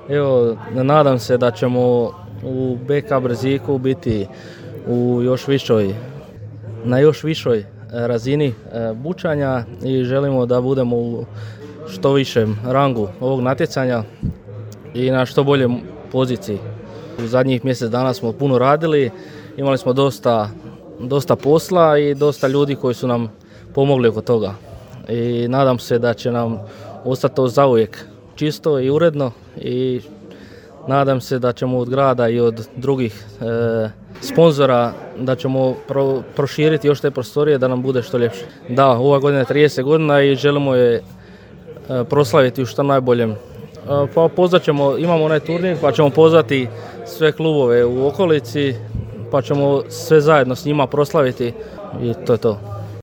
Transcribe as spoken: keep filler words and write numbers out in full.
Evo, nadam se da ćemo u B K Brziku biti u još višoj, na još višoj razini bučanja i želimo da budemo u što višem rangu ovog natjecanja i na što bolje poziciji. U zadnjih mjesec dana smo puno radili, imali smo dosta, dosta posla i dosta ljudi koji su nam pomogli oko toga. I nadam se da će nam ostati to zauvijek čisto i uredno i nadam se da ćemo od grada i od drugih e, sponzora da ćemo pro, proširiti još te prostorije da nam bude što ljepše. Da, ova godina je trideset godina i želimo je e, proslaviti u što najboljem. E, pa pozvat ćemo, imamo onaj turnir pa ćemo pozvati sve klubove u okolici pa ćemo sve zajedno s njima proslaviti i to je to.